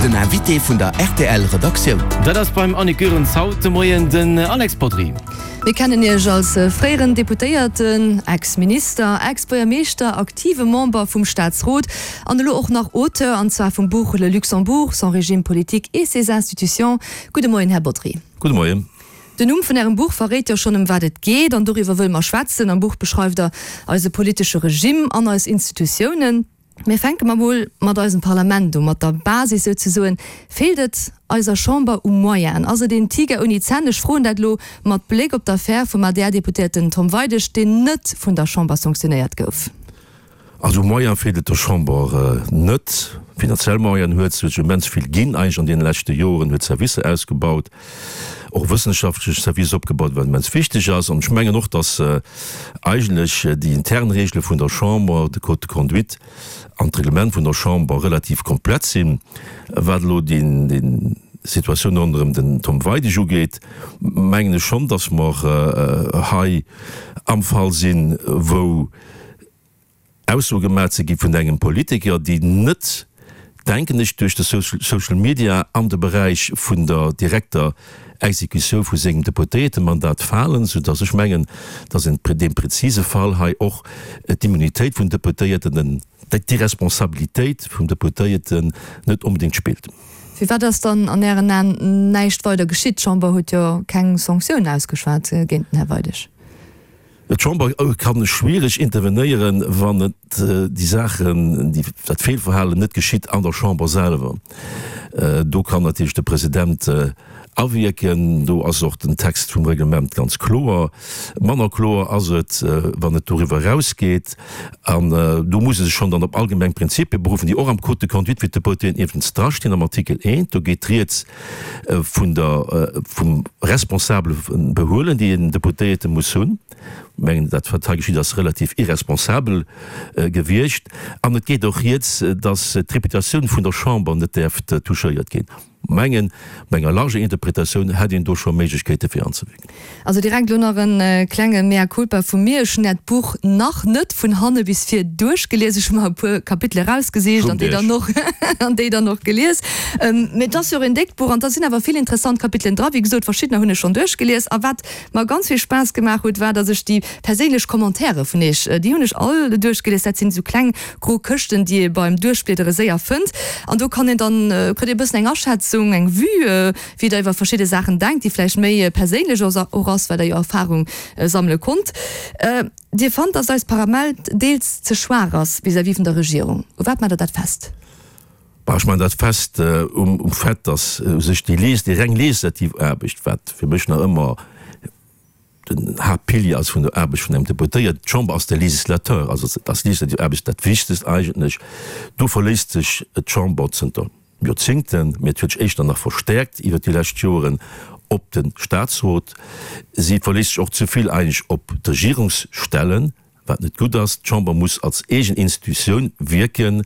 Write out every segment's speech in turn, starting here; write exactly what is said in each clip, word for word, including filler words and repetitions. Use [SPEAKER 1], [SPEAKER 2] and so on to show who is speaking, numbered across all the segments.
[SPEAKER 1] Den Invité vun der R T L Redaktioun.
[SPEAKER 2] Dat ass beim Annick Goerens haut de Moien den Alex Bodry.
[SPEAKER 3] Mir kennen Iech als fréieren Deputéierten, Ex-Minister, Ex-Buergermeeschter, aktive Member vum Staatsrot an elo och nach Auteur, an zwar vum Buch Le Luxembourg, son régime politique et ses institutions. Gudde Moien, Här Bodry.
[SPEAKER 4] Gudde Moien.
[SPEAKER 3] Den Numm vun Ärem Buch verréit jo schonn, ëm wat et geet, an doriwwer wëlle mer schwätzen. Am Buch beschreift Der eise politesche Regime an eis Institutiounen. Mir fänke mer mol mat eisem Parlament u, mat der Basis souzesoen. Feelt et eiser Chamber u Moyenen? Ass et een Tiger ouni Zänn? Ech froen dat elo mat Bléck op d'Affär vum A D R-Deputéierten Tom Weidig, deen net vun der Chamber sanktionéiert gouf.
[SPEAKER 4] Also u Moyene feelt et der Chamber net. Finanziell Moyenen huet se immens vill ginn eigentlech an deene leschte Joren, huet Servicer ausgebaut, och wëssenschaftlech Servicer opgebaut, wat immens wichteg ass. An ech mengen och, dass eigentlech déi intern Regele vun der Chamber, de Code de conduite an d'Reglement vun der Chamber relativ komplett sinn. Wat elo déi Situatioun ronderëm den Tom Weidig ugeet, mengen ech schonn, dass mer hei am Fall sinn, wou Aussoe gemaach si gi vun engem Politiker, déi net, denken ech, duerch de Social Media an de Beräich vun der direkter Exekutioun vu sengem Deputéiertemandat falen, soudass ech mengen, dass an deem präzise Fall hei och d'Immunitéit vun Deputéierten, d'Irresponsabilitéit vum Deputéierten net onbedéngt spillt.
[SPEAKER 3] Firwat ass dann an Ären Aen näischt weider geschitt? D'Chamber huet jo keng Sanktioun ausgeschwat géint den Här Weidig.
[SPEAKER 4] D'Chamber kann schwiereg intervenéieren, wann et déi Saachen, déi, dat Feelverhalen net geschitt an der Chamber selwer. Do kann natierlech de President awierken. Do ass och den Text vum Reglement ganz kloer. Manner kloer ass et, wann et doriwwer erausgeet. An do muss e sech schonn dann op allgemeng Prinzipie beruffen, déi och am Code de conduite fir d'Deputéen iwwregens drastinn, am Artikel eent. Do geet rieds vun der, vum responsabele Behuelen, déi en Deputéierte muss hunn. Ech mengen, dat wat hei geschitt ass relativ irresponsabel gewiescht. An et geet och rieds, datt d'Reputatioun vun der Chamber net däerf touchéiert ginn. Mengen, bei enger larger Interpretatioun hätt een do scho Méiglechkeete fir anzewierken.
[SPEAKER 3] Also direkt elo nach e klenge Mea culpa vu mir, Ech hunn Äert Buch nach net vun hanne bis vir duerchgelies. Ech hu mer e puer Kapitele erausgesicht an déi dann och an déi dann och gelies. Mee et ass jo och en déckt Buch an da sinn awer vill interessant Kapitelen dra. Wéi gesot, verschiddener hunn ech schonn duerchgelies. A wat mer ganz vill Spaass gemaach huet, war, datt ech déi perséinlech Commentairë vun Iech, déi hunn ech all duerchgelies. Dat sinn esou kleng gro Këschten, déi ee beim Duerchbliedere séier fënnt. An do kann een dann, kritt ee e bëssen eng Aschätzung, eng Vue, wéi Der iwwer verschidde Saachen denkt, déi vläicht méi perséinlech och ass, well Der jo Erfahrung sammele konnt. Dir fannt, datt eist Parament deels ze schwaach ass vis-à-vis vun der Regierung. U wat maacht Der dat fest?
[SPEAKER 4] Bah, ech maachen dat fest um Fait, datt u sech déi déi reng legislativ Aarbecht, wat fir mech nach ëmmer den Haaptpilier ass vun der Aarbecht vun engem Deputéierten, d'Chamber ass de Législateur, also ass legislativ Aarbecht dat Wichtegst eigentlech, do verléisst sech d'Chamber zënter Joerzéngten, mee et huet sech éischter nach verstäerkt iwwert déi lescht Joren, op de Staatsrot. Si verléisst sech och ze vill eigentlech op d'Regierungsstellen, wat net gutt ass. D'Chamber muss als eegen Institutioun wierken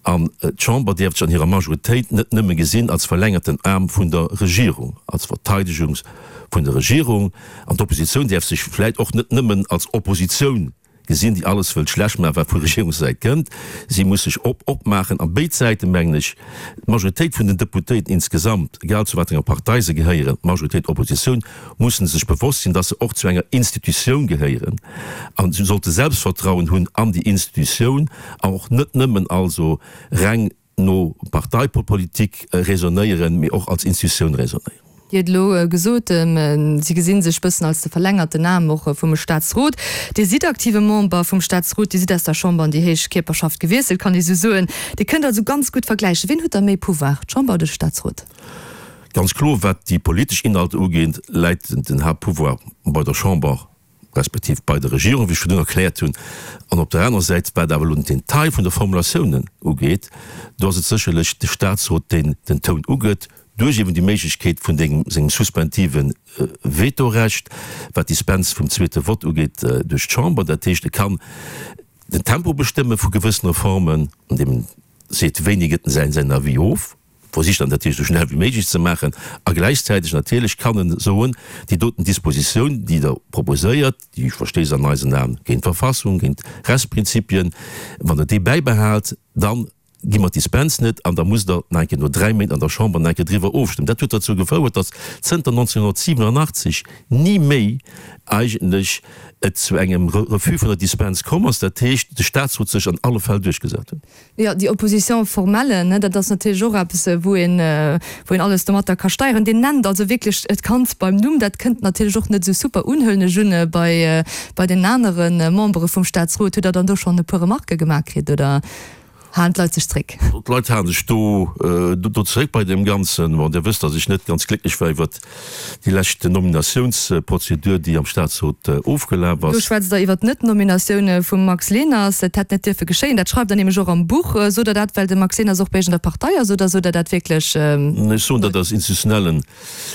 [SPEAKER 4] an d'Chamber däerf sech an hirer Majoritéit net nëmme gesinn als verlängerten Aarm vun der Regierung, als Verteidegung vun der Regierung. An d'Oppositioun däerf sech vläicht och net nëmmen als Oppositioun gesinn, déi alles wëllt schlecht maachen, wat vu Regierungssäit kënnt. Si muss sech op opmaachen. A béid Säiten, mengen ech, d'Majoritéit vun den Deputéierten insgesamt, egal zu wat enger Partei se gehéieren, Majoritéit, Oppositioun, mussen sech bewosst sinn, dass se och zu enger Institutioun gehéieren a si sollte Selbstvertrauen hunn an déi Institutioun an och net nëmmen also reng no Parteipolitik raisonnéieren, mee och als Institutioun raisonnéieren.
[SPEAKER 3] Dir hutt elo gesot, Si gesi sech bëssen als de verlängerten Aarm och vum Staatsrot. Dir sidd aktive Member vum Staatsrot, Dir sidd aus der Chamber an déi héich Kierperschaft gewiesselt, kann ee sou soen. Dir kënnt also ganz gutt vergläichen. Wien huet da méi Pouvoir, d'Chamber oder de Staatsrot?
[SPEAKER 4] Ganz kloer, wat déi politesch Inhalter ugeet, läit den Haaptpouvoir bei der Chamber respektiv bei der Regierung, wéi ech virdrun erkläert hunn. An op der anerer Säit, wat awer elo den Detail vun de Formulatiounen ugeet, do ass et sécherlech de Statsrot, deen den Toun ugëtt, duerch eben déi Méiglechkeet vun dengem sengem suspensive Vetorecht, wat d'Dispens vum zweete Vott ugeet duerch d'Chamber. Dat heescht, e kann den Tempo bestëmme vu gewëssen Reformen, andeem en seet, wéini gëtt en säin säin Avis of, versicht dann dat esou schnell wéi méiglech ze maachen, a gläichzäiteg natierlech kann en soen, déi doten Dispositioun, déi Der proposéiert, déi verstéisst an eisen Aen géint d'Verfassung, géint Rechtsprinzipien, wann Der déi bäibehalt, dann gi mer d'Dispens net an da musst Der nach eng Kéier no dräi Méint an der Chamber nach eng Kéier driwwer ofstëmmen. Dat huet derzou gefouert, datt zënter neunzehnhundertsiwenundachtzeg ni méi eigentlech et zu engem Refus vun der Dispens komm ass, dat heescht, de Statsrot sech an alle Fäll duerchgesat huet.
[SPEAKER 3] Jo, déi Opposition formelle, ne, dat ass natierlech och eppes, wou een, wou een alles domatter ka steieren. Dir nennt also wierklech d'Kand beim Numm. Dat kënnt natierlech och net esou super un, huelen ech un, bei, bei den anere Membere vum Statsrot. Hutt Der dann do schonn e puer Remarquë gemaach kritt, oder? Halen d'Leit sech zréck?
[SPEAKER 4] D'Leit hale sech do do zeréck bei deem Ganzen. Bon, Dir wësst, datt ech net ganz glécklech war iwwert déi lescht Nominatiounsprozedur, déi am Statsrot ofgelaf
[SPEAKER 3] ass. Do schwätzt Der iwwert d'Net-Nominatioun vum Max Leners. Et hätt net dierfe geschéien. Dat schreift Der nämlech och am Buch. Sot Der dat, well de Max Leners och bei Iech an der Partei ass, oder sot Der dat wierklech?
[SPEAKER 4] Ech soen dat aus institutionellen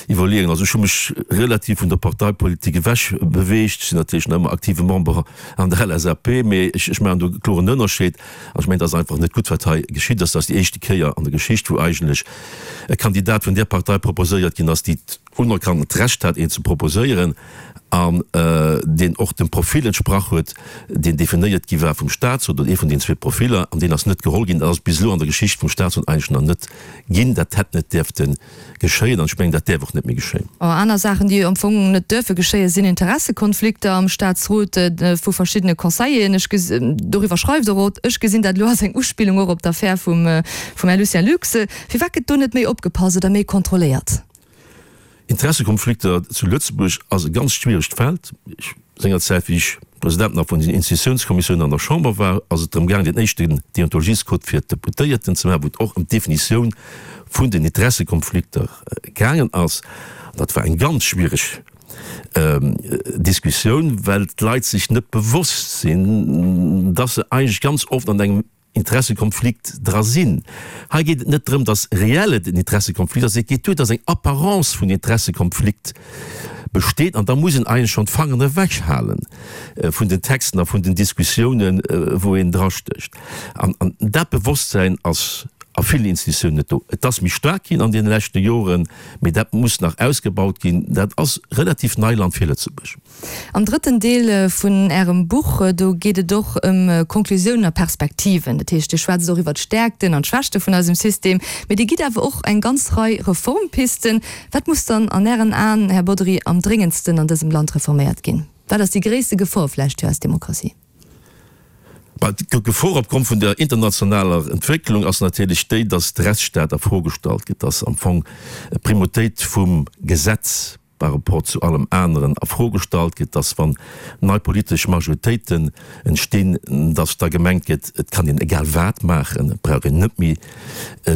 [SPEAKER 4] Iwwerleeungen. Also ech hu mech relativ vun der Parteipolitik ewech beweegt. Ech sinn natierlech nach ëmmer aktive Member an der L S A P, mee ech maachen do e kloren Ënnerscheed. An ech mengen, et ass einfach net gutt, wat hei geschitt ass. Dat ass déi éischte Kéier an der Geschicht, wou eigentlech e Kandidat vun där Partei proposéiert ginn ass, déi unerkannt d'Recht hat, een ze proposéieren an deen och dem Profil entsprach huet, deen definéiert gi war vum Statsrot, oder ee vun den zwee Profiller, an deen ass net geholl ginn. Dat ass bis elo an der Geschicht vum Statsrot eigentlech nach net ginn. Dat hätt net däerfte geschéien an ech mengen, dat däerf och net méi geschéien.
[SPEAKER 3] Aner Saachen, déi am Fong net duerfe geschéien, sinn Interessekonflikter am Staatsrot vu verschiddene Conseilleren. Ech ges-, doriwwer schreift Der och, ech gesinn dat elo als eng Uspillung och op d'Affär vum, vum Här Lucien Lux. Firwat gëtt do net méi opgepasst oder méi kontrolléiert?
[SPEAKER 4] Interessekonflikter zu Lëtzebuerg ass e ganz schwieregt Feld. Sengerzäit, wéi ech President nach vun den Institutiounskommissiounen an der Chamber war, ass et drëm gaangen, deen éischten Deontologiescode fir d'Deputéierten ze maachen, wou et och ëm d'Definitioun vun den Interessekonflikter gaangen ass. An dat war eng ganz schwiereg Diskussioun, well d'Leit sech net bewosst sinn, dass se eigentlech ganz oft an engem Interessekonflikt dra sinn. Hei geet et net drëm, dass reell et en Interessekonflikt ass, et geet duer, dass eng Apparence vun Interessekonflikt besteet an da muss een eigentlech schonn d'Fangeren ewech hale vun den Texten a vun den Diskussiounen, wou een drastécht. An dat Bewosstsäin ass a villen Institutiounen net do. Et ass méi staark ginn an deene leschte Joren, mee dat muss nach ausgebaut ginn. Dat ass relativ Neiland fir Lëtzebuerg.
[SPEAKER 3] Am drëtten Deel vun Ärem Buch, do geet et och ëm Konklusiounen a Perspektiven. Dat heescht, Dir schwätzt och iwwer d'Stäerkten an d'Schwächte vun eisem System, mee Dir gitt awer och eng ganz Rei Reformpisten. Wat muss dann an Ären Aen, Här Bodry, am dréngendsten an dësem Land reforméiert ginn? Wat ass déi gréisste Gefor vläicht fir eis Demokratie?
[SPEAKER 4] D'Gefor opgrond vun der internationaler Entwécklung ass natierlech déi, dass de Rechtsstaat a Fro gestallt gëtt, dass am Fong d'Primautéit vum Gesetz par rapport zu allem aneren a Fro gestallt gëtt, dass wann nei politesch Majoritéiten entstinn, dass da gemengt gëtt, et kann een egal wat maachen, et brauch een net méi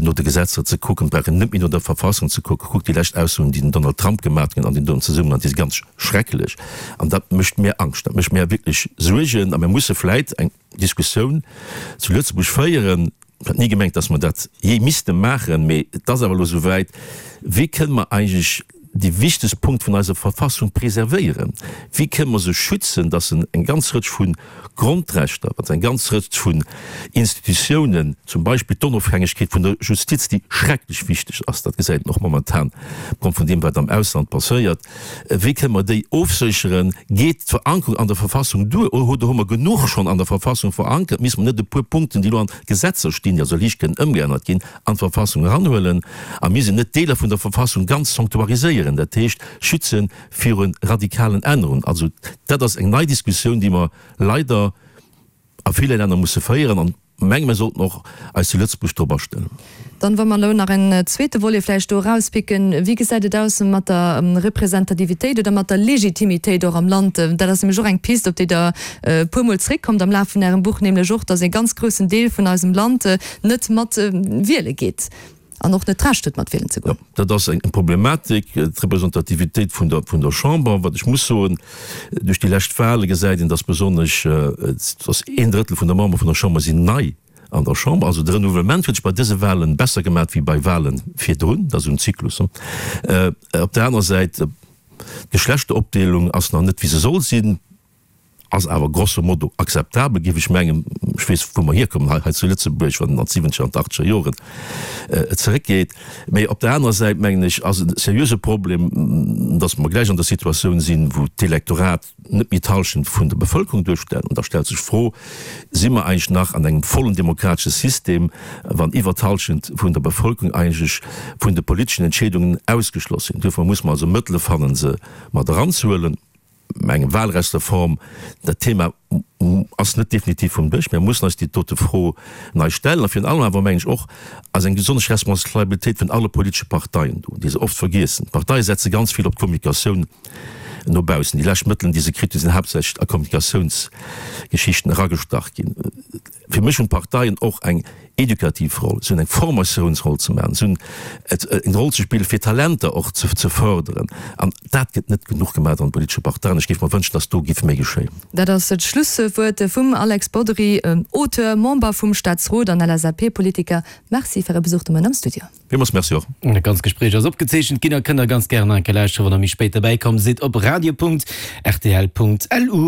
[SPEAKER 4] no de Gesetzer ze kucken, et brauch een net méi no der Verfassung ze kucken. Kuckt déi lescht Aussoen, déi den Donald Trump gemaat huet an deem doen Zesummenhang, déi si ganz schrecklech. An dat mécht mär Angscht, dat mécht mär wierklech Suergen. A mir musse vläit eng Diskussioun zu Lëtzebuerg féieren, Ech hat ni gemengt, dass mer dat jee misste maachen, mee et ass awer elo esouwäit, Wéi kënne mer eigentlech dee wichtegste Punkt vun eiser Verfassung preservéieren? Wéi kënne mer se schützen, dass en eng ganz Rëtsch vu Grondrechter, dass eng ganz Rëtsch vun Institutiounen, zum Beispill d'Onofhängegkeet vun der Justiz, déi schrecklech wichteg ass, dat gesäit een och momentan opgrond vun deem, wat am Ausland passéiert, Wéi kënne mer déi ofsécheren? Geet d'Verankerung an der Verfassung duer oder hu mer genuch schonn an der Verfassung verankert? Misste mer net e puer Punkten, déi elo an Gesetzer stinn, déi also liicht kënnen ëmgeännert ginn, an d'Verfassung eranhuelen? A misst een net Deeler vun der Verfassung ganz sanctuariséieren, dat heescht schütze viru radikalen Ännerungen? Also dat ass eng nei Diskussioun, déi mer leider a ville Länner musse féieren. An menge mir sollten och eis zu Lëtzebuerg drop astellen.
[SPEAKER 3] Dann, wa mer elo nach en zweete Volet vläicht do erauspicken, Wéi gesäit et aus mat der Representativitéit oder mat der Legitimitéit och am Land? Dat ass nämlech och eng Pist, op déi Der e puermol zréckkommt am Laf vun Ärem Buch, nämlech och, dass e ganz groussen Deel vun eisem Land net mat wiele geet an och net d'Recht huet, mat wielen ze goen.
[SPEAKER 4] Jo, dat ass eng Problematik, d'Representativitéit vun der, vun der Chamber. Wat ech muss soen, duerch déi lescht Wahle gesäit een, dass besonnesch, dass een Drëttel vun der Member vun der Chamber sinn nei an der Chamber. Also de Renouvellement huet sech bei dëse Wahlen besser gemaat wéi bei Wahlen virdrun. Dat ass esou en Zyklus. Op der anerer Säit, d'Geschlechteropdeelung ass nach net wéi se soll sinn. ass awer grosso modo akzeptabel, géif ech mengen. Ech weess, wou mer hierkommen hei zu Lëtzebuerg, wann een an d'siwwenzeger an d'achtzeger Joren zeréckgeet. Mee op der anerer Säit, mengen ech, ass et e seriöse Problem, dass mer gläich an der Situatioun sinn, wou d'Elektorat net méi d'Hallschent vun der Bevëlkerung duerstellt. An da stellt sech d'Fro, Si mer eigentlech nach an engem vollen demokratesche System, wann iwwer d'Hallschent vun der Bevëlkerung eigentlech vun de politeschen Entscheedungen ausgeschloss sinn? Duerfir muss mer also Mëttele fannen, se mat eranzehuelen. Eng Wahlrechtsreform, dat Thema ass net definitiv vum Dësch. Mir mussen eis déi dote Fro nei stellen. A virun allem awer, mengen ech och, ass eng besonnesch Responsabilitéit vun alle politesche Parteien do, déi se oft vergiessen. D'Parteie setze ganz vill op d'Kommunikatioun no baussen. Déi lescht Mëttelen, déi se kritt hunn, sinn haaptsächlech a Kommunikatiounsgeschichten eragestach ginn. Fir mech hunn d'Parteien och eng edukativ Roll, si hunn eng Formatiounsroll ze maachen, si hunn eng Roll ze spillen, fir Talenter och ze fërderen. An dat gëtt net genuch gemaach an de politesche Parteien. Ech géif mer wënschen, datt do géif méi geschéien.
[SPEAKER 3] Dat ass d'Schlusswuert vum Alex Bodry, Auteur, Member vum Staatsrot an L S A P-Politiker. Merci fir Äre Besuch de Moien am Studio.
[SPEAKER 4] Villmools Merci och.
[SPEAKER 2] Dat ganzt Gespréich ass opgezeechent ginn a kënnt der ganz gären nach eng Kéier lauschteren, wann der méi spéit derbäi komm sidd, op radio Punkt rtl Punkt lu.